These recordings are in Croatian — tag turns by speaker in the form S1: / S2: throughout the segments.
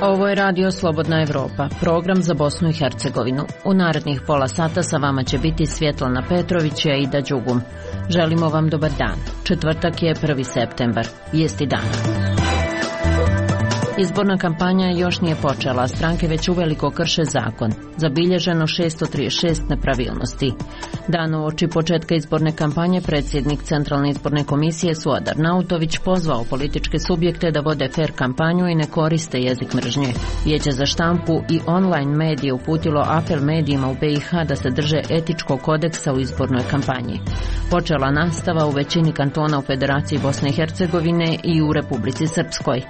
S1: Ovo je Radio Slobodna Evropa, program za Bosnu i Hercegovinu. U narednih pola sata sa vama će biti Svjetlana Petrović i Aida Đugum. Želimo vam dobar dan. Četvrtak je 1. septembar. Vijesti dana. Izborna kampanja još nije počela, a stranke već uveliko krše zakon. Zabilježeno 636 nepravilnosti. Dan uoči početka izborne kampanje predsjednik Centralne izborne komisije Suad Arnautović pozvao političke subjekte da vode fer kampanju i ne koriste jezik mržnje. Vijeće za štampu i online medije uputilo apel medijima u BiH da se drže etičkog kodeksa u izbornoj kampanji. Počela nastava u većini kantona u Federaciji Bosne i Hercegovine i u Republici Srpskoj.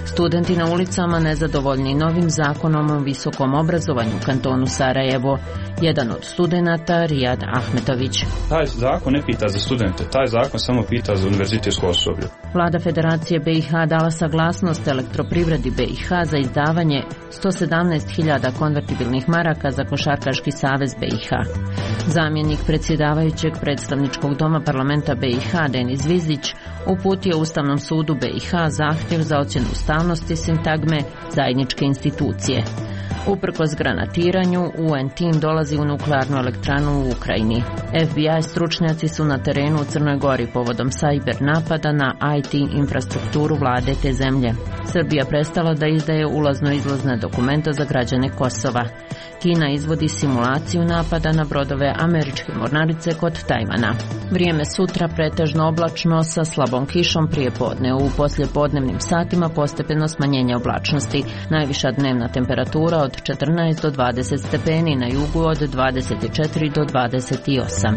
S1: Studenti na ulicama nezadovoljni novim zakonom o visokom obrazovanju u kantonu Sarajevo. Jedan od studenata, Rijad Ahmetović.
S2: Taj zakon ne pita za studente, taj zakon samo pita za univerzitetsko osoblje.
S1: Vlada Federacije BiH dala saglasnost Elektroprivredi BiH za izdavanje 117.000 konvertibilnih maraka za Košarkaški savez BiH. Zamjenik predsjedavajućeg predstavničkog doma parlamenta BiH Denis Zvizdić uputio Ustavnom sudu BiH zahtjev za ocjenu ustavnosti sintagme zajedničke institucije. Uprkos granatiranju, UN tim dolazi u nuklearnu elektranu u Ukrajini. FBI stručnjaci su na terenu u Crnoj Gori povodom cyber napada na IT infrastrukturu vlade te zemlje. Srbija prestala da izdaje ulazno-izlazne dokumenta za građane Kosova. Kina izvodi simulaciju napada na brodove američke mornarice kod Tajvana. Vrijeme sutra pretežno oblačno sa slabom kišom prije podne. U poslijepodnevnim satima postepeno smanjenje oblačnosti. Najviša dnevna temperatura od 14 do 20 stepeni, na jugu od 24 do 28.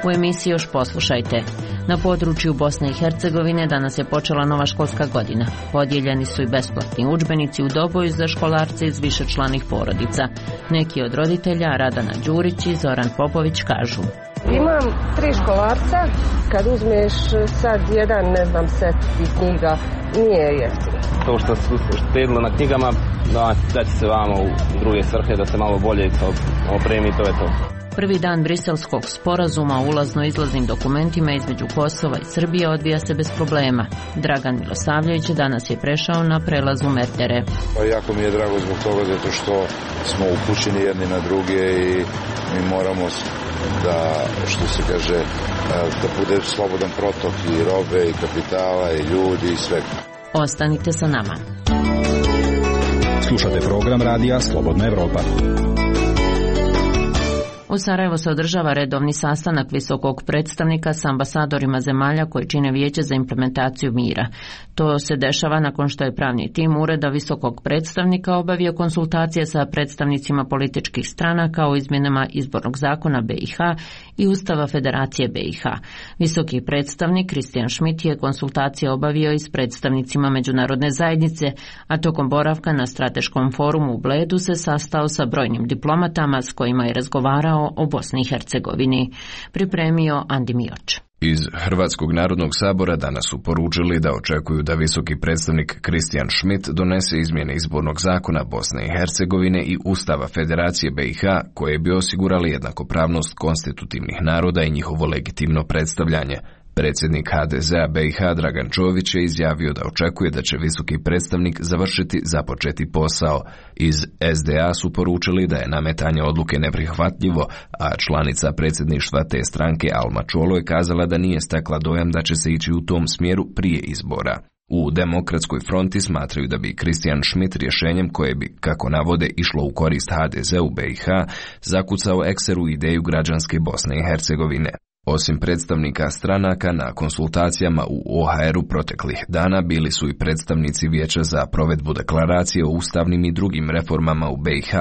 S1: U emisiji još poslušajte. Na području Bosne i Hercegovine danas je počela nova školska godina. Podijeljeni su i besplatni udžbenici u Doboju za školarce iz višečlanih porodica. Neki od roditelja, Radana Đurić i Zoran Popović, kažu:
S3: Imam 3 školarca, kad uzmeš sad jedan, set i knjiga, nije jeftino.
S4: To što su štedilo na knjigama, da će se vamo u druge svrhe, da se malo bolje opremi, to je to.
S1: Prvi dan briselskog sporazuma o ulazno-izlaznim dokumentima između Kosova i Srbije odvija se bez problema. Dragan Milosavljević danas je prešao na prelazu Merdere.
S5: Jako mi je drago zbog toga zato što smo upućeni jedni na druge i mi moramo da, što se kaže, da bude slobodan protok i robe i kapitala i ljudi i sve.
S1: Ostanite sa nama.
S6: Slušate program radija Slobodna Evropa.
S1: U Sarajevo se održava redovni sastanak visokog predstavnika s ambasadorima zemalja koji čine Vijeće za implementaciju mira. To se dešava nakon što je pravni tim Ureda visokog predstavnika obavio konsultacije sa predstavnicima političkih stranaka o izmjenama izbornog zakona BiH i Ustava Federacije BiH. Visoki predstavnik Kristijan Šmit je konsultacije obavio i s predstavnicima međunarodne zajednice, a tokom boravka na strateškom forumu u Bledu se sastao sa brojnim diplomatama s kojima je razgovarao o Bosni i Hercegovini. Pripremio Andi Mioč.
S7: Iz Hrvatskog narodnog sabora danas su poručili da očekuju da visoki predstavnik Kristijan Šmit donese izmjene izbornog zakona Bosne i Hercegovine i Ustava Federacije BiH koje bi osigurali jednakopravnost konstitutivnih naroda i njihovo legitimno predstavljanje. Predsjednik HDZ-a BiH Dragan Čović je izjavio da očekuje da će visoki predstavnik završiti započeti posao. Iz SDA su poručili da je nametanje odluke neprihvatljivo, a članica predsjedništva te stranke Alma Čolo je kazala da nije stekla dojam da će se ići u tom smjeru prije izbora. U Demokratskoj fronti smatraju da bi Kristijan Šmit rješenjem koje bi, kako navode, išlo u korist HDZ-u BiH, zakucao ekseru ideju građanske Bosne i Hercegovine. Osim predstavnika stranaka, na konsultacijama u OHR-u proteklih dana bili su i predstavnici Vijeća za provedbu deklaracije o ustavnim i drugim reformama u BiH,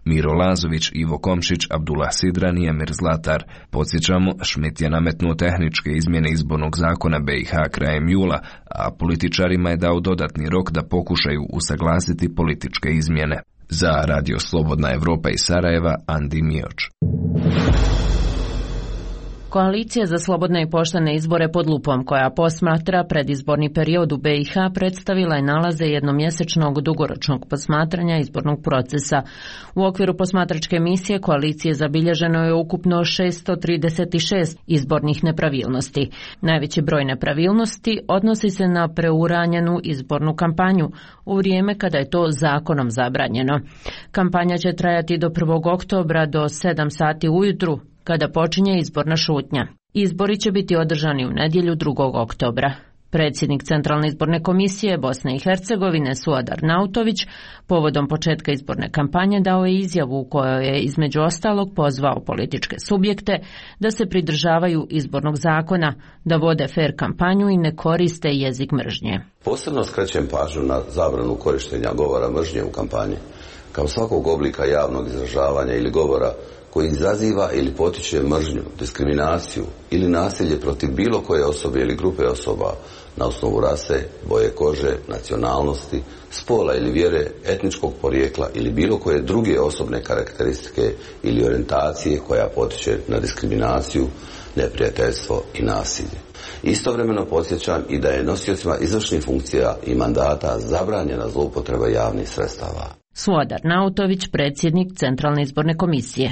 S7: Miro Lazović, Ivo Komšić, Abdullah Sidran i Emir Zlatar. Podsjećamo, Šmit je nametnuo tehničke izmjene izbornog zakona BiH krajem jula, a političarima je dao dodatni rok da pokušaju usaglasiti političke izmjene. Za Radio Slobodna Evropa iz Sarajeva, Andi Mioč.
S1: Koalicija za slobodne i poštene izbore pod lupom, koja posmatra predizborni period u BiH, predstavila je nalaze jednomjesečnog dugoročnog posmatranja izbornog procesa. U okviru posmatračke misije koalicije zabilježeno je ukupno 636 izbornih nepravilnosti. Najveći broj nepravilnosti odnosi se na preuranjenu izbornu kampanju u vrijeme kada je to zakonom zabranjeno. Kampanja će trajati do 1. oktobra do 7 sati ujutru, kada počinje izborna šutnja. Izbori će biti održani u nedjelju 2. oktobra. Predsjednik Centralne izborne komisije Bosne i Hercegovine Suadar Nautović povodom početka izborne kampanje dao je izjavu u kojoj je između ostalog pozvao političke subjekte da se pridržavaju izbornog zakona, da vode fer kampanju i ne koriste jezik mržnje.
S8: Posebno skrećem pažnju na zabranu korištenja govora mržnje u kampanji, kao svakog oblika javnog izražavanja ili govora koji izaziva ili potiče mržnju, diskriminaciju ili nasilje protiv bilo koje osobe ili grupe osoba na osnovu rase, boje kože, nacionalnosti, spola ili vjere, etničkog porijekla ili bilo koje druge osobne karakteristike ili orijentacije koja potiče na diskriminaciju, neprijateljstvo i nasilje. Istovremeno podsjećam i da je nosiocima izvršnih funkcija i mandata zabranjena zloupotreba javnih sredstava.
S1: Suadar Nautović, predsjednik Centralne izborne komisije.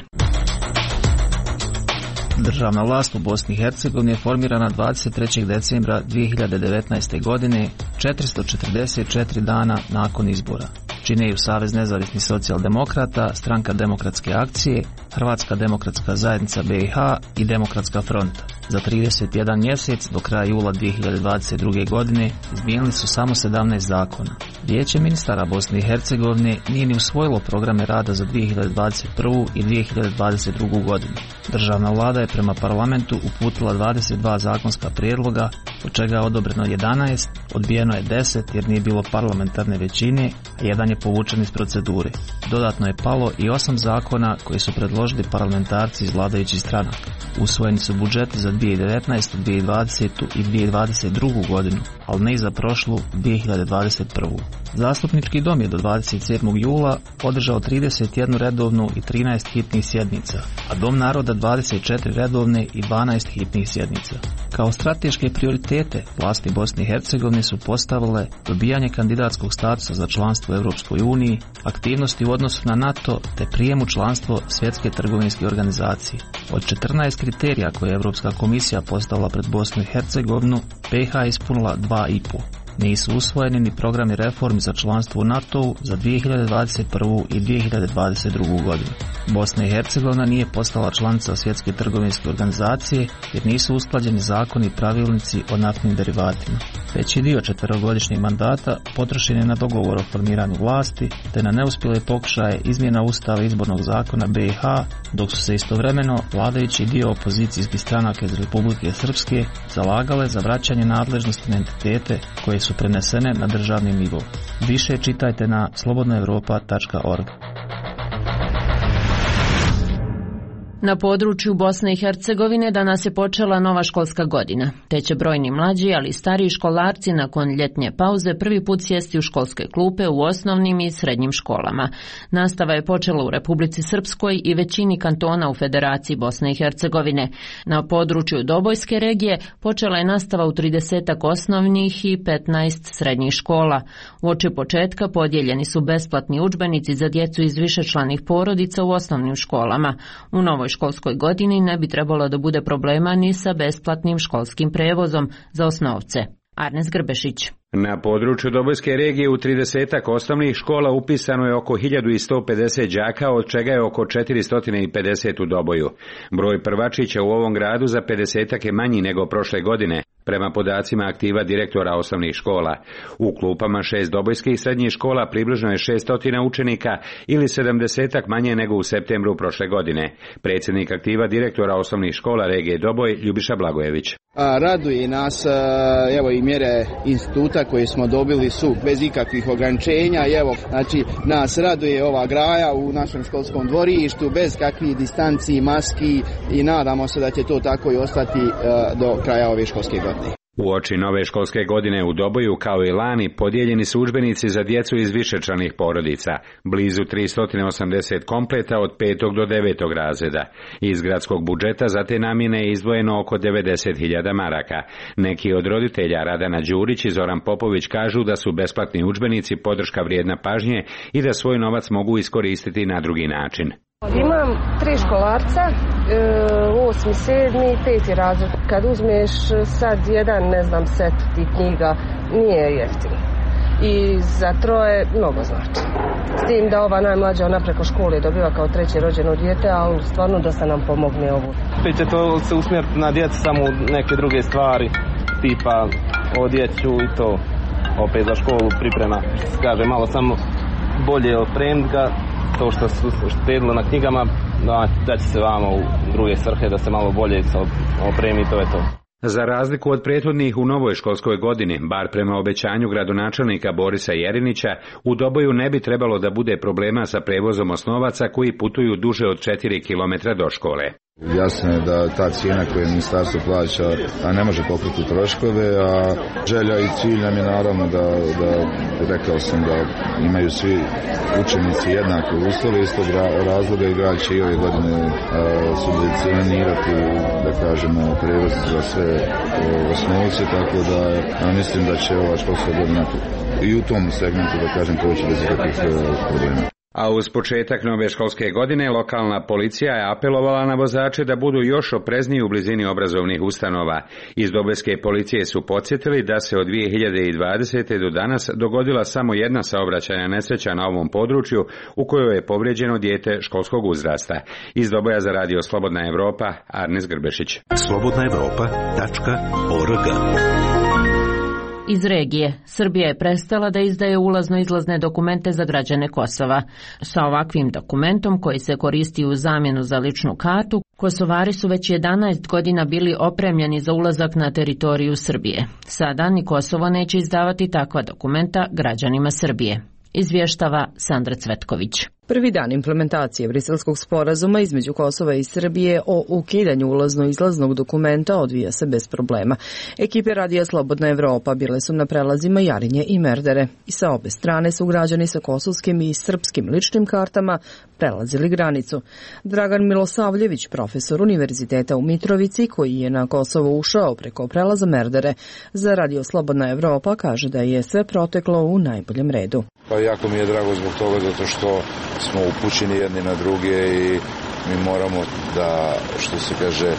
S9: Državna vlast u Bosni i Hercegovini je formirana 23. decembra 2019. godine, 444 dana nakon izbora. Čine ju Savez nezavisnih socijaldemokrata, Stranka demokratske akcije, Hrvatska demokratska zajednica BiH i Demokratska fronta. Za 31 mjesec do kraja jula 2022. godine izmijenili su samo 17 zakona. Vijeće ministara Bosne i Hercegovine nije ni usvojilo programe rada za 2021. i 2022. godinu. Državna vlada je prema parlamentu uputila 22 zakonska prijedloga, od čega je odobreno 11, odbijeno je 10 jer nije bilo parlamentarne većine, a jedan je povučen iz procedure. Dodatno je palo i 8 zakona koji su predložili parlamentarci iz vladajućih stranaka. Usvojeni su budžeti za 2019., 2020. i 2022. godinu, ali ne i za prošlu 2021. Zastupnički dom je do 27. jula održao 31 redovnu i 13 hitnih sjednica, a Dom naroda 24 redovne i 12 hitnih sjednica. Kao strateške prioritete vlasti Bosne i Hercegovine su postavile dobijanje kandidatskog statusa za članstvo u Europskoj uniji, aktivnosti u odnosu na NATO te prijem u članstvo Svjetske trgovinske organizacije. Od 14 kriterija koje je Europska komisija postavila pred Bosnu i Hercegovinu, BiH je ispunila 2,5. Nisu usvojeni ni programi reformi za članstvo u NATO-u za 2021. i 2022. godinu. Bosna i Hercegovina nije postala članica Svjetske trgovinske organizacije jer nisu usklađeni zakoni i pravilnici o naftnim derivatima. Veći dio četverogodišnjeg mandata potrošen je na dogovor o formiranju vlasti te na neuspjele pokušaje izmjena Ustava izbornog zakona BiH, dok su se istovremeno vladajući dio opozicijskih stranaka iz Republike Srpske zalagale za vraćanje nadležnosti na entitete koje su prenesene na državni nivo. Više čitajte na slobodnaevropa.org.
S1: Na području Bosne i Hercegovine danas je počela nova školska godina, te će brojni mlađi, ali i stariji školarci nakon ljetnje pauze prvi put sjesti u školske klupe u osnovnim i srednjim školama. Nastava je počela u Republici Srpskoj i većini kantona u Federaciji Bosne i Hercegovine. Na području Dobojske regije počela je nastava u 30 osnovnih i 15 srednjih škola. Uoči početka podijeljeni su besplatni udžbenici za djecu iz višečlanih porodica u osnovnim školama. U novoj školskoj godini ne bi trebalo da bude problema ni sa besplatnim školskim prevozom za osnovce. Arnes Grbešić.
S10: Na području Dobojske regije u 30 osnovnih škola upisano je oko 1150 đaka, od čega je oko 450 u Doboju. Broj prvačića u ovom gradu za 50 je manji nego prošle godine, prema podacima aktiva direktora osnovnih škola. U klupama 6 dobojskih srednjih škola približno je 600 učenika ili 70 manje nego u septembru prošle godine. Predsjednik aktiva direktora osnovnih škola regije Doboj, Ljubiša Blagojević.
S11: Raduje nas, evo i mjere instituta koje smo dobili su bez ikakvih ograničenja. Evo, znači, nas raduje ova graja u našem školskom dvorištu bez kakvih distanci, maski i nadamo se da će to tako i ostati do kraja ove školske godine.
S10: Uoči nove školske godine u Doboju, kao i lani, podijeljeni su udžbenici za djecu iz višečlanih porodica, blizu 380 kompleta od 5. do 9. razreda. Iz gradskog budžeta za te namjene je izdvojeno oko 90.000 maraka. Neki od roditelja, Radana Đurić i Zoran Popović, kažu da su besplatni udžbenici podrška vrijedna pažnje i da svoj novac mogu iskoristiti na drugi način.
S3: Imam 3 školarca, 8., 7., 5. razred. Kad uzmeš sad jedan, set tih knjiga, nije jeftino. I za troje mnogo znači. S tim da ova najmlađa, ona preko škole dobiva kao 3. rođeno dijete, ali stvarno dosta nam pomogne ovu.
S4: Opet će to se usmjeriti na djecu samo neke druge stvari, tipa odjeću i to. Opet za školu priprema, kaže malo samo bolje opremiti ga. To što su štedilo na knjigama, da će se vamo u druge svrhe, da se malo bolje opremi, to je to.
S10: Za razliku od prethodnih u novoj školskoj godini, bar prema obećanju gradonačelnika Borisa Jerinića, u Doboju ne bi trebalo da bude problema sa prevozom osnovaca koji putuju duže od 4 km do škole.
S5: Jasno je da ta cijena koju ministarstvo plaća ne može pokriti troškove, a želja i cilj nam je naravno da rekao sam da imaju svi učenici jednake uslove, iz tog razloga i grad će i ove godine subvencionirati, da kažemo, prevoz za sve osnovce, tako da mislim da će ova školska godina i u tom segmentu, da kažem, proći bez ikakvih problema.
S10: A uz početak nove školske godine lokalna policija je apelovala na vozače da budu još oprezniji u blizini obrazovnih ustanova. Iz Dobojske policije su podsjetili da se od 2020. do danas dogodila samo jedna saobraćajna nesreća na ovom području u kojoj je povrijeđeno dijete školskog uzrasta. Iz Doboja za radio Slobodna Evropa, Arnes Grbešić.
S12: slobodnaevropa.org.
S1: Iz regije, Srbija je prestala da izdaje ulazno-izlazne dokumente za građane Kosova. Sa ovakvim dokumentom, koji se koristi u zamjenu za ličnu kartu, Kosovari su već 11 godina bili opremljeni za ulazak na teritoriju Srbije. Sada ni Kosovo neće izdavati takva dokumenta građanima Srbije. Izvještava Sandra Cvetković.
S13: Prvi dan implementacije Briselskog sporazuma između Kosova i Srbije o ukidanju ulazno-izlaznog dokumenta odvija se bez problema. Ekipe radija Slobodna Evropa bile su na prelazima Jarinje i Merdere i sa obe strane su građani sa kosovskim i srpskim ličnim kartama prelazili granicu. Dragan Milosavljević, profesor Univerziteta u Mitrovici, koji je na Kosovo ušao preko prelaza Merdere, za radio Slobodna Evropa kaže da je sve proteklo u najboljem redu.
S5: Pa jako mi je drago zbog toga, zato što smo upućeni jedni na druge i mi moramo da, što se kaže,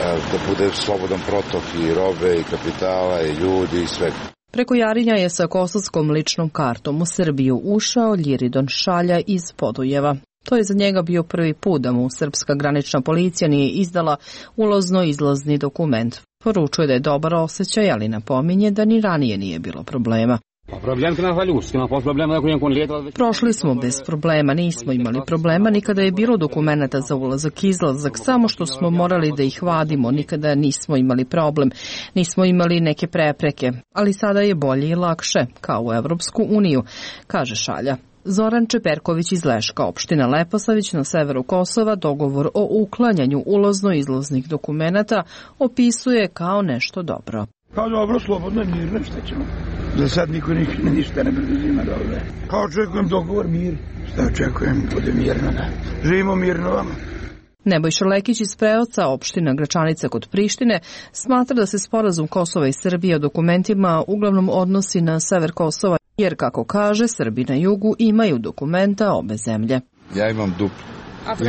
S5: da bude slobodan protok i robe i kapitala i ljudi i svega.
S13: Preko Jarinja je sa kosovskom ličnom kartom u Srbiju ušao Ljiridon Šalja iz Podujeva. To je za njega bio prvi put da mu srpska granična policija nije izdala ulazno-izlazni dokument. Poručuje da je dobar osjećaj, ali napominje da ni ranije nije bilo problema. Prošli smo bez problema, nismo imali problema, nikada je bilo dokumenta za ulazak-izlazak, samo što smo morali da ih vadimo, nikada nismo imali problem, nismo imali neke prepreke, ali sada je bolje i lakše, kao u Evropsku uniju, kaže Šalja. Zoran Čeperković iz Leška, opština Leposavić na severu Kosova, dogovor o uklanjanju ulazno-izlaznih dokumenata opisuje kao nešto dobro.
S14: Kao dobro, slobodno, mirno, šta ćemo? Za sad niko ništa ne preduzima dobro. Kao očekujem dogovor, mir. Šta očekujem, bude mirno, da. Živimo mirno vama.
S13: Nebojša Lekić iz Preoca, opština Gračanica kod Prištine, smatra da se sporazum Kosova i Srbije o dokumentima uglavnom odnosi na sever Kosova, jer, kako kaže, Srbi na jugu imaju dokumenta obe zemlje.
S5: Ja imam duplu.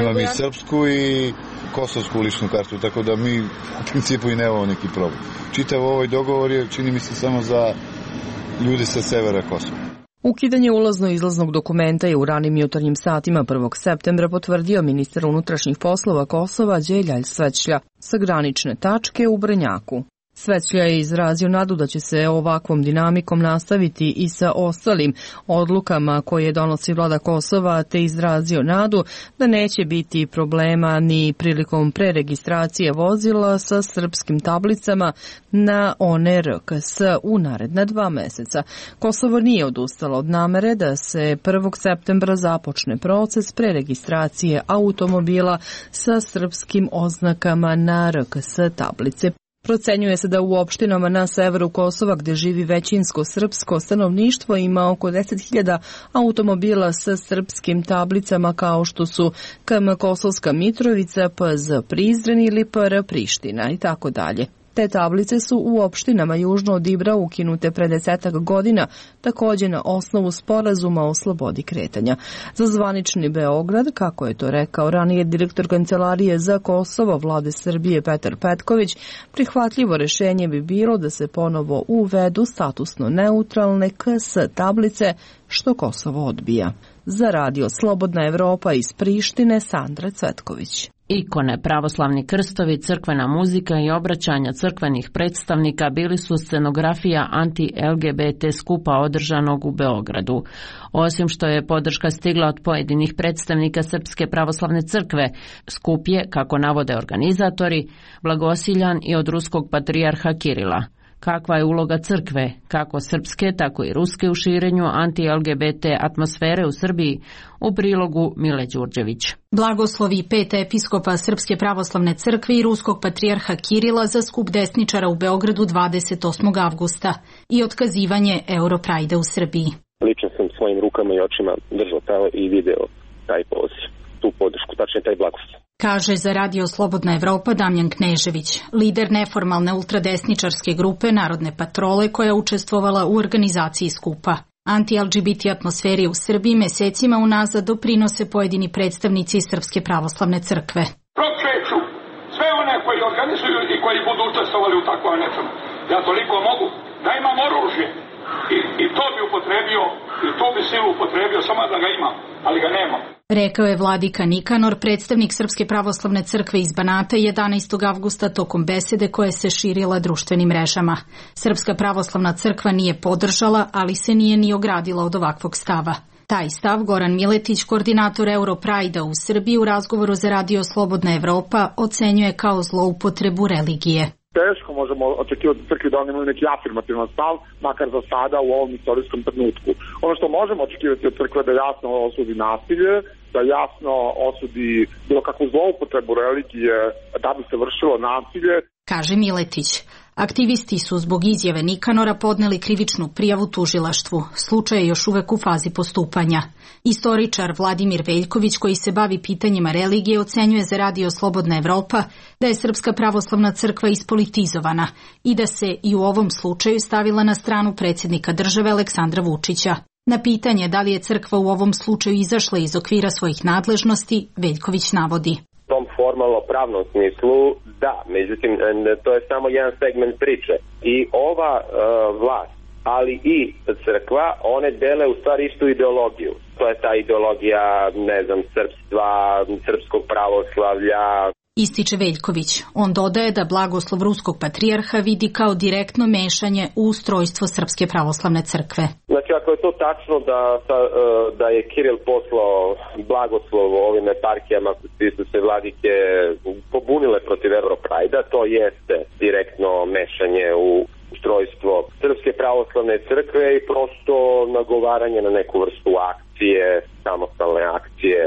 S5: Imam i srpsku i kosovsku ličnu kartu, tako da mi u principu i nemamo neki problem. Čitav ovaj dogovor je, čini mi se, samo za ljude sa severa Kosova.
S13: Ukidanje ulazno-izlaznog dokumenta je u ranim jutarnjim satima 1. septembra potvrdio ministar unutrašnjih poslova Kosova Đeljalj Svećlja sa granične tačke u Brnjaku. Svećlja je izrazio nadu da će se ovakvom dinamikom nastaviti i sa ostalim odlukama koje donosi vlada Kosova, te izrazio nadu da neće biti problema ni prilikom preregistracije vozila sa srpskim tablicama na one RKS u naredna 2 meseca. Kosovo nije odustalo od namere da se 1. septembra započne proces preregistracije automobila sa srpskim oznakama na RKS tablice. Procenjuje se da u opštinama na severu Kosova, gde živi većinsko srpsko stanovništvo, ima oko 10.000 automobila sa srpskim tablicama kao što su KM Kosovska Mitrovica, PZ Prizren ili PR Priština i tako dalje. Te tablice su u opštinama južno od Ibra ukinute pre 10 godina, takođe na osnovu sporazuma o slobodi kretanja. Za zvanični Beograd, kako je to rekao ranije direktor Kancelarije za Kosovo Vlade Srbije Petar Petković, prihvatljivo rešenje bi bilo da se ponovo uvedu statusno neutralne KS tablice, što Kosovo odbija. Za radio Slobodna Evropa iz Prištine, Sandra Cvetković.
S1: Ikone, pravoslavni krstovi, crkvena muzika i obraćanja crkvenih predstavnika bili su scenografija anti-LGBT skupa održanog u Beogradu. Osim što je podrška stigla od pojedinih predstavnika Srpske pravoslavne crkve, skup je, kako navode organizatori, blagosiljan i od ruskog patrijarha Kirila. Kakva je uloga crkve, kako srpske, tako i ruske u širenju anti-LGBT atmosfere u Srbiji, u prilogu Mile Đurđević.
S12: Blagoslovi 5 episkopa Srpske pravoslavne crkve i ruskog patrijarha Kirila za skup desničara u Beogradu 28. avgusta i otkazivanje Europrajda u Srbiji.
S15: Lično sam svojim rukama i očima držao i video taj poziv, tu podršku, tačnije taj blagoslov.
S12: Kaže za radio Slobodna Evropa Damjan Knežević, lider neformalne ultradesničarske grupe Narodne patrole koja je učestvovala u organizaciji skupa. Anti-LGBT atmosferi u Srbiji mesecima unazad doprinose pojedini predstavnici Srpske pravoslavne crkve.
S16: Prokreću sve one koji organizuju i koji budu učestvovali u takvom nečemu. Ja toliko mogu da imam oružje i to bi upotrebio i tu bi silu upotrebio samo da ga imam, ali ga nemam.
S12: Rekao je vladika Nikanor, predstavnik Srpske pravoslavne crkve iz Banata 11. avgusta tokom besede koje se širila društvenim mrežama. Srpska pravoslavna crkva nije podržala, ali se nije ni ogradila od ovakvog stava. Taj stav Goran Miletić, koordinator Europrajda u Srbiji, u razgovoru za radio Slobodna Evropa ocenjuje kao zloupotrebu religije.
S17: Teško možemo očekivati crkvi da oni imaju neki afirmativan stav, makar za sada u ovom istorijskom trenutku. Ono što možemo očekivati od crkve da jasno osudi nasilje, da jasno osudi bilo kakvu zloupotrebu religije da bi se vršilo nasilje.
S12: Kaže Miletić. Aktivisti su zbog izjave Nikanora podneli krivičnu prijavu tužilaštvu. Slučaj je još uvek u fazi postupanja. Istoričar Vladimir Veljković, koji se bavi pitanjima religije, ocenjuje za radio Slobodna Evropa da je Srpska pravoslavna crkva ispolitizovana i da se i u ovom slučaju stavila na stranu predsjednika države Aleksandra Vučića. Na pitanje da li je crkva u ovom slučaju izašla iz okvira svojih nadležnosti, Veljković navodi.
S15: U tom formalno pravnom smislu da, međutim to je samo jedan segment priče i ova vlast, ali i crkva, one dele u stvari istu ideologiju. To je ta ideologija, srpstva, srpskog pravoslavlja.
S12: Ističe Veljković. On dodaje da blagoslov ruskog patrijarha vidi kao direktno mešanje u ustrojstvo Srpske pravoslavne crkve.
S15: Znači, ako je to tačno da je Kiril poslao blagoslov ovim eparhijama koji su se vladike pobunile protiv Europrajda, to jeste direktno mešanje u ustrojstvo Srpske pravoslavne crkve i prosto nagovaranje na neku vrstu akcije, samostalne akcije,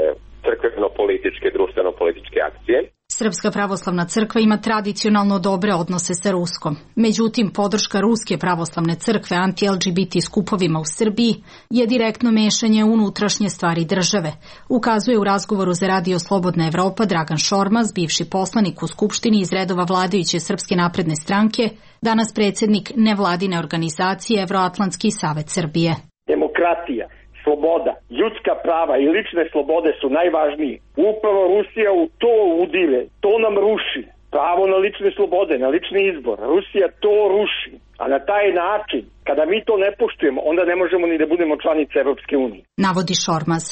S15: crkveno-političke, društveno-političke akcije.
S12: Srpska pravoslavna crkva ima tradicionalno dobre odnose sa Ruskom. Međutim, podrška Ruske pravoslavne crkve anti-LGBT skupovima u Srbiji je direktno mešanje u unutrašnje stvari države, ukazuje u razgovoru za radio Slobodna Evropa Dragan Šormaz, bivši poslanik u Skupštini iz redova vladajuće Srpske napredne stranke, danas predsjednik nevladine organizacije Evroatlantski savet Srbije.
S18: Demokratija, sloboda, ljudska prava i lične slobode su najvažniji. Upravo Rusija u to udire, to nam ruši. Pravo na lične slobode, na lični izbor. Rusija to ruši. A na taj način, kada mi to ne poštujemo, onda ne možemo ni da budemo članice Evropske unije.
S12: Navodi Šormaz.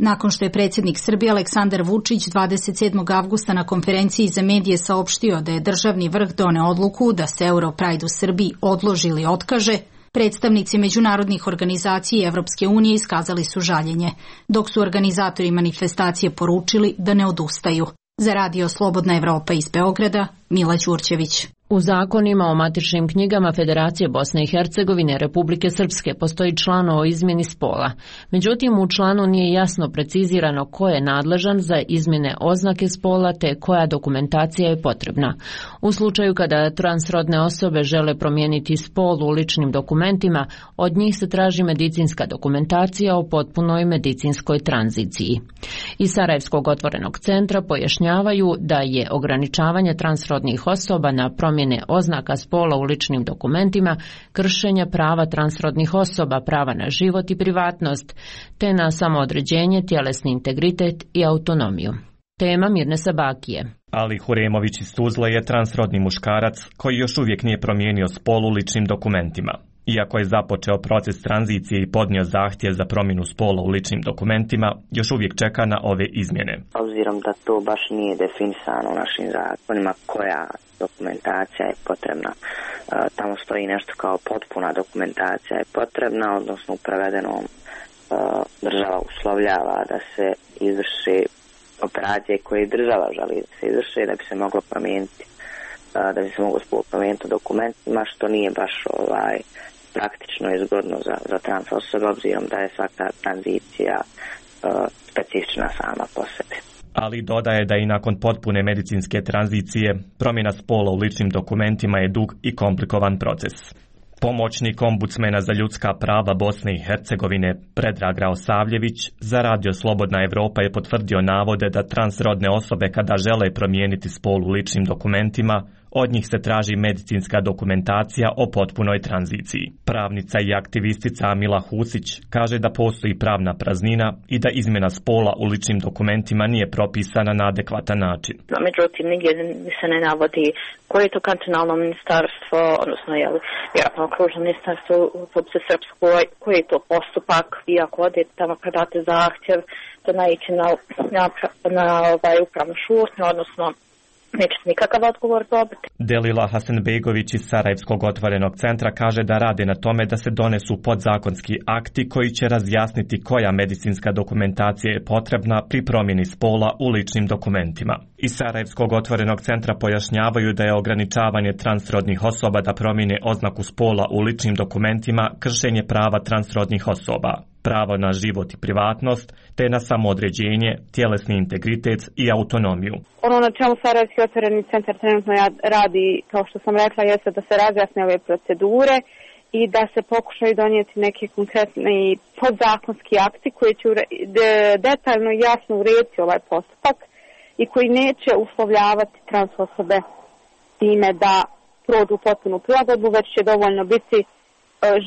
S12: Nakon što je predsjednik Srbije Aleksandar Vučić 27. avgusta na konferenciji za medije saopštio da je državni vrh doneo odluku da se Europride u Srbiji odloži ili otkaže, predstavnici međunarodnih organizacija i Evropske unije iskazali su žaljenje, dok su organizatori manifestacije poručili da ne odustaju. Za radio Slobodna Evropa iz Beograda, Mila Đurđević.
S1: U zakonima o matičnim knjigama Federacije Bosne i Hercegovine Republike Srpske postoji član o izmjeni spola. Međutim, u članu nije jasno precizirano ko je nadležan za izmjene oznake spola te koja dokumentacija je potrebna. U slučaju kada transrodne osobe žele promijeniti spol u ličnim dokumentima, od njih se traži medicinska dokumentacija o potpunoj medicinskoj tranziciji. Iz Sarajevskog otvorenog centra pojašnjavaju da je ograničavanje transrodnih osoba na promjene oznaka spola u ličnim dokumentima, kršenje prava transrodnih osoba, prava na život i privatnost, te na samoodređenje, tjelesni integritet i autonomiju. Tema Mirne Sabakije.
S19: Ali Huremović iz Tuzle je transrodni muškarac koji još uvijek nije promijenio spol u ličnim dokumentima. Iako je započeo proces tranzicije i podnio zahtjev za promjenu spola u ličnim dokumentima, još uvijek čeka na ove izmjene.
S20: Obzirom da to baš nije definisano u našim zakonima koja dokumentacija je potrebna. Tamo stoji nešto kao potpuna dokumentacija je potrebna, odnosno u prevedenom država uslovljava da se izvrši operacije koje država želi da se izvrši da bi se moglo promijeniti, da bi se moglo spol promijeniti u dokumentima, što nije baš praktično i zgodno za trans osobe, obzirom da je svaka tranzicija specifična sama po sebi.
S19: Ali dodaje da i nakon potpune medicinske tranzicije promjena spola u ličnim dokumentima je dug i komplikovan proces. Pomoćnik ombudsmena za ljudska prava Bosne i Hercegovine Predrag Raosavljević za Radio Slobodna Evropa je potvrdio navode da transrodne osobe kada žele promijeniti spol u ličnim dokumentima, od njih se traži medicinska dokumentacija o potpunoj tranziciji. Pravnica i aktivistica Amila Husić kaže da postoji pravna praznina i da izmjena spola u ličnim dokumentima nije propisana na adekvatan način.
S21: Međutim, nigdje se ne navodi koje je to kantonalno ministarstvo, odnosno vjerojatno okružno ministarstvo u Republici Srpskoj, koji je to postupak, vi ako odete tamo predate zahtjev da naići na upravnu šutnju, odnosno nećete nikakav odgovor dobiti.
S19: Delila Hasanbegović iz Sarajevskog otvorenog centra kaže da rade na tome da se donesu podzakonski akti koji će razjasniti koja medicinska dokumentacija je potrebna pri promjeni spola u ličnim dokumentima. Iz Sarajevskog otvorenog centra pojašnjavaju da je ograničavanje transrodnih osoba da promijene oznaku spola u ličnim dokumentima kršenje prava transrodnih osoba, pravo na život i privatnost, te na samoodređenje, tjelesni integritet i autonomiju.
S22: Ono na čemu Sarajevski otvoreni centar trenutno radi, kao što sam rekla, jeste da se razjasne ove procedure i da se pokušaju donijeti neki konkretni podzakonski akti koji će detaljno i jasno urediti ovaj postupak i koji neće uslovljavati trans osobe time da prođu potpunu prilagodbu, već će dovoljno biti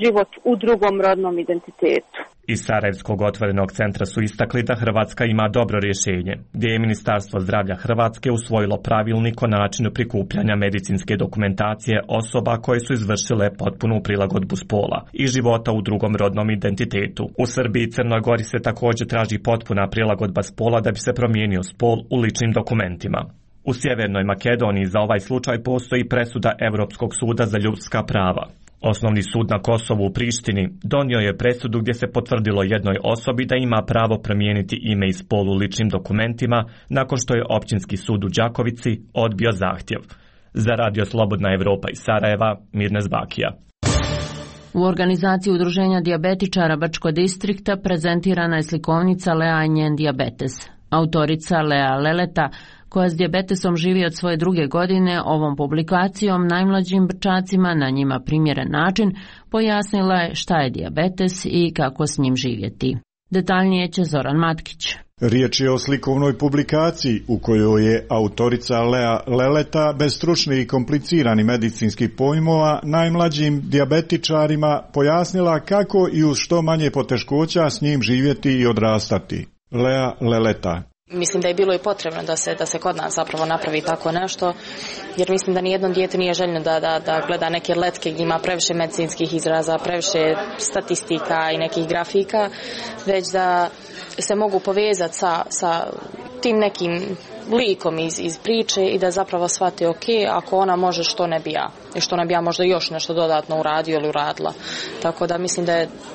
S22: život u drugom rodnom identitetu.
S19: Iz Sarajevskog otvorenog centra su istakli da Hrvatska ima dobro rješenje, gdje je Ministarstvo zdravlja Hrvatske usvojilo pravilnik o načinu prikupljanja medicinske dokumentacije osoba koje su izvršile potpunu prilagodbu spola i života u drugom rodnom identitetu. U Srbiji i Crnoj Gori se također traži potpuna prilagodba spola da bi se promijenio spol u ličnim dokumentima. U Sjevernoj Makedoniji za ovaj slučaj postoji presuda Europskog suda za ljudska prava. Osnovni sud na Kosovu u Prištini donio je presudu gdje se potvrdilo jednoj osobi da ima pravo promijeniti ime i spol u ličnim dokumentima nakon što je Općinski sud u Đakovici odbio zahtjev. Za Radio Slobodna Evropa iz Sarajeva, Mirne Zbakija.
S1: U organizaciji Udruženja dijabetičara Brčko distrikta prezentirana je slikovnica Lea i njen dijabetes. Autorica Lea Leleta, koja s dijabetesom živi od svoje 2. godine, ovom publikacijom najmlađim Brčacima na njima primjeren način pojasnila je šta je dijabetes i kako s njim živjeti. Detaljnije će Zoran Matkić.
S23: Riječ je o slikovnoj publikaciji u kojoj je autorica Lea Leleta bez stručnih i kompliciranih medicinskih pojmova najmlađim dijabetičarima pojasnila kako i uz što manje poteškoća s njim živjeti i odrastati. Lea Leleta.
S24: Mislim da je bilo i potrebno da se kod nas zapravo napravi tako nešto, jer mislim da nijedno dijete nije željno da gleda neke letke gdje ima previše medicinskih izraza, previše statistika i nekih grafika, već da se mogu povezati sa tim nekim likom iz priče i da zapravo shvate ok, ako ona može, što ne bi ja. I što ne bi ja možda još nešto dodatno uradio ili uradila. Tako da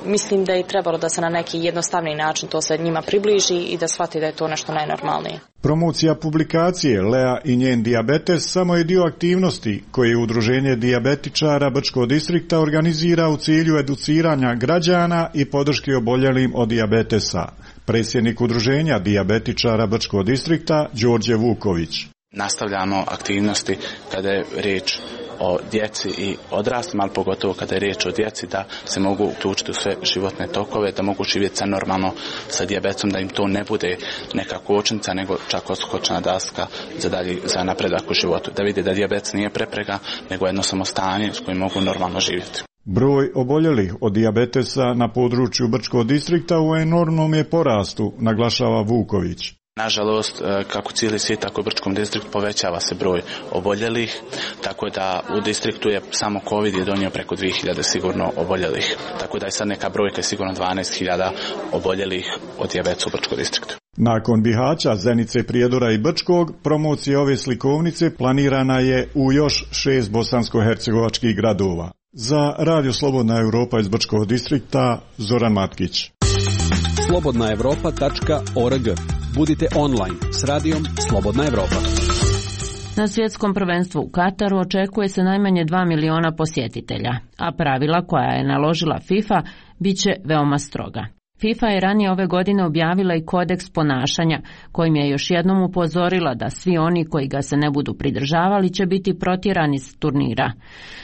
S24: mislim da je trebalo da se na neki jednostavni način to se njima približi i da shvati da je to nešto najnormalnije.
S23: Promocija publikacije Lea i njen dijabetes samo je dio aktivnosti koje Udruženje dijabetičara Brčkog distrikta organizira u cilju educiranja građana i podrške oboljelim od dijabetesa. Predsjednik Udruženja dijabetičara Brčkog distrikta Đorđe Vuković.
S2: Nastavljamo aktivnosti kada je riječ o djeci i odraslima, ali pogotovo kada je riječ o djeci, da se mogu uključiti u sve životne tokove, da mogu živjeti normalno sa dijabetesom, da im to ne bude neka kočnica, nego čak odskočna daska za napredak u životu. Da vidi da dijabetes nije prepreka, nego jednostavno stanje s kojim mogu normalno živjeti.
S23: Broj oboljelih od dijabetesa na području Brčkog distrikta u enormnom je porastu, naglašava Vuković.
S2: Nažalost, kako cijeli svijet, tako u Brčkom distriktu povećava se broj oboljelih, tako da u distriktu je samo COVID je donio preko 2000 sigurno oboljelih. Tako da je sad neka brojka sigurno 12.000 oboljelih od dijabetesa u Brčkom distriktu.
S23: Nakon Bihaća, Zenice, Prijedora i Brčkog, promocija ove slikovnice planirana je u još 6 bosansko-hercegovačkih gradova. Za Radio Slobodna Europa iz Brčkog distrikta, Zoran Matkić.
S6: slobodnaevropa.org. Budite online s radijom Slobodna Evropa.
S1: Na svjetskom prvenstvu u Kataru očekuje se najmanje 2 miliona posjetitelja, a pravila koja je naložila FIFA bit će veoma stroga. FIFA je ranije ove godine objavila i kodeks ponašanja, kojim je još jednom upozorila da svi oni koji ga se ne budu pridržavali će biti protjerani s turnira.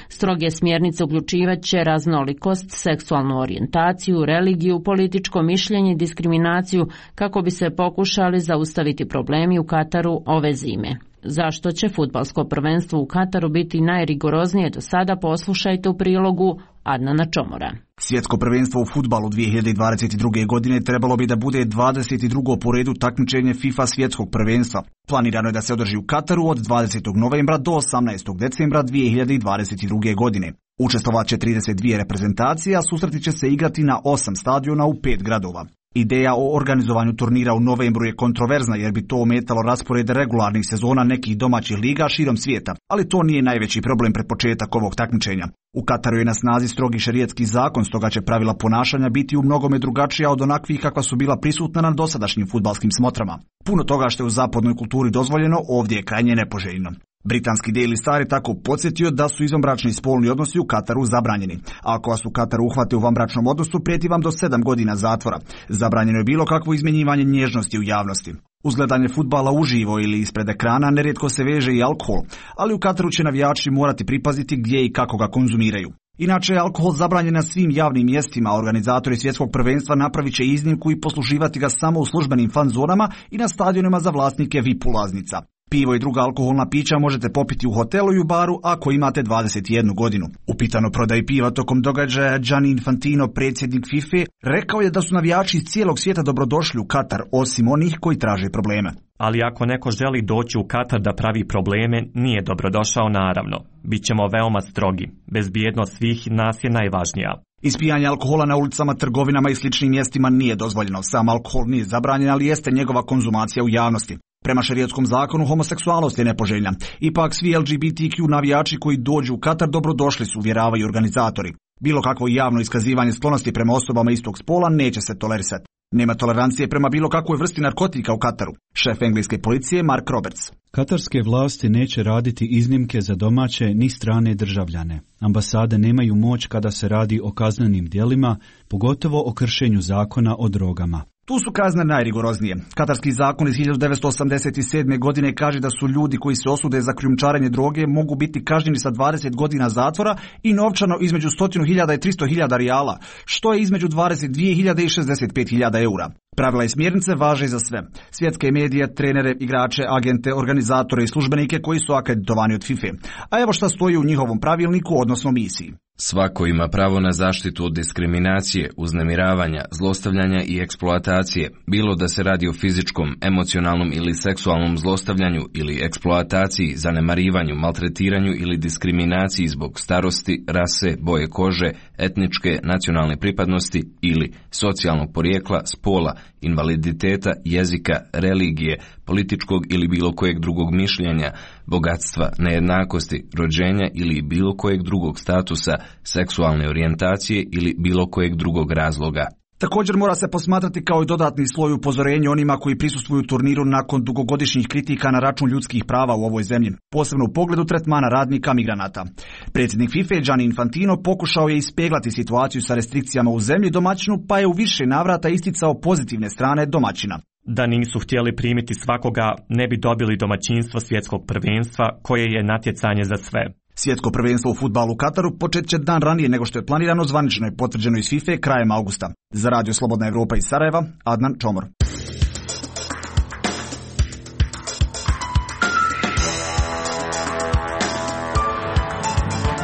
S1: Stroge smjernice uključivat će raznolikost, seksualnu orijentaciju, religiju, političko mišljenje i diskriminaciju kako bi se pokušali zaustaviti problemi u Kataru ove zime. Zašto će fudbalsko prvenstvo u Kataru biti najrigoroznije do sada, poslušajte u prilogu Adnana Čomora.
S7: Svjetsko prvenstvo u fudbalu 2022. godine trebalo bi da bude 22. po redu takmičenje FIFA svjetskog prvenstva. Planirano je da se održi u Kataru od 20. novembra do 18. decembra 2022. godine. Učestvovaće 32 reprezentacije, a susreti će se igrati na 8 stadiona u 5 gradova. Ideja o organizovanju turnira u novembru je kontroverzna jer bi to ometalo raspored regularnih sezona nekih domaćih liga širom svijeta, ali to nije najveći problem pred početak ovog takmičenja. U Kataru je na snazi strogi šerijatski zakon, stoga će pravila ponašanja biti u mnogome drugačija od onakvih kakva su bila prisutna na dosadašnjim fudbalskim smotrama. Puno toga što je u zapadnoj kulturi dozvoljeno ovdje je krajnje nepoželjno. Britanski Daily Star je tako podsjetio da su izvanbračni spolni odnosi u Kataru zabranjeni. Ako vas u Kataru uhvate u vanbračnom odnosu, prijeti vam do 7 godina zatvora. Zabranjeno je bilo kakvo izmjenjivanje nježnosti u javnosti. Uz gledanje fudbala uživo ili ispred ekrana nerijetko se veže i alkohol, ali u Kataru će navijači morati pripaziti gdje i kako ga konzumiraju. Inače je alkohol zabranjen na svim javnim mjestima, a organizatori svjetskog prvenstva napravit će iznimku i posluživati ga samo u službenim fan zonama i na stadionima za vlasnike VIP ulaznica. Pivo i druga alkoholna pića možete popiti u hotelu i u baru ako imate 21 godinu. Upitano prodaji piva tokom događaja, Gianni Infantino, predsjednik FIFA, rekao je da su navijači iz cijelog svijeta dobrodošli u Katar, osim onih koji traže probleme.
S19: Ali ako neko želi doći u Katar da pravi probleme, nije dobrodošao naravno. Bićemo veoma strogi. Bezbjednost svih nas je najvažnija.
S7: Ispijanje alkohola na ulicama, trgovinama i sličnim mjestima nije dozvoljeno. Sam alkohol nije zabranjen, ali jeste njegova konzumacija u javnosti. Prema šerijatskom zakonu homoseksualnost je nepoželjna. Ipak svi LGBTQ navijači koji dođu u Katar dobrodošli su, uvjeravaju organizatori. Bilo kakvo javno iskazivanje sklonosti prema osobama istog spola neće se tolerisati. Nema tolerancije prema bilo kakvoj vrsti narkotika u Kataru. Šef engleske policije Mark Roberts.
S8: Katarske vlasti neće raditi iznimke za domaće ni strane državljane. Ambasade nemaju moć kada se radi o kaznenim djelima, pogotovo o kršenju zakona o drogama.
S7: Tu su kazne najrigoroznije. Katarski zakon iz 1987. godine kaže da su ljudi koji se osude za krijumčarenje droge mogu biti kažnjeni sa 20 godina zatvora i novčano između 100.000 i 300.000 rijala, što je između 22.000 i 65.000 eura. Pravila i smjernice važe za sve. Svjetske medije, trenere, igrače, agente, organizatore i službenike koji su akreditovani od FIFA. A evo šta stoji u njihovom pravilniku, odnosno misiji.
S25: Svako ima pravo na zaštitu od diskriminacije, uznemiravanja, zlostavljanja i eksploatacije, bilo da se radi o fizičkom, emocionalnom ili seksualnom zlostavljanju ili eksploataciji, zanemarivanju, maltretiranju ili diskriminaciji zbog starosti, rase, boje kože, etničke, nacionalne pripadnosti ili socijalnog porijekla, spola, invaliditeta, jezika, religije, političkog ili bilo kojeg drugog mišljenja, bogatstva, nejednakosti, rođenja ili bilo kojeg drugog statusa, seksualne orijentacije ili bilo kojeg drugog razloga.
S7: Također mora se posmatrati kao i dodatni sloj upozorenja onima koji prisustvuju turniru nakon dugogodišnjih kritika na račun ljudskih prava u ovoj zemlji, posebno u pogledu tretmana radnika migranata. Predsjednik FIFA Gianni Infantino pokušao je ispeglati situaciju sa restrikcijama u zemlji domaćinu, pa je u više navrata isticao pozitivne strane domaćina.
S19: Da nisu htjeli primiti svakoga, ne bi dobili domaćinstvo svjetskog prvenstva, koje je natjecanje za sve.
S7: Svjetsko prvenstvo u fudbalu u Kataru počet će dan ranije nego što je planirano, zvanično je potvrđeno iz FIFA krajem augusta. Za Radio Slobodna Evropa iz Sarajeva, Adnan Čomor.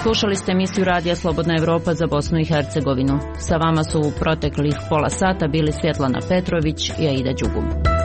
S1: Slušali ste emisiju Radija Slobodna Evropa za Bosnu i Hercegovinu. Sa vama su u proteklih pola sata bili Svjetlana Petrović i Aida Đugum.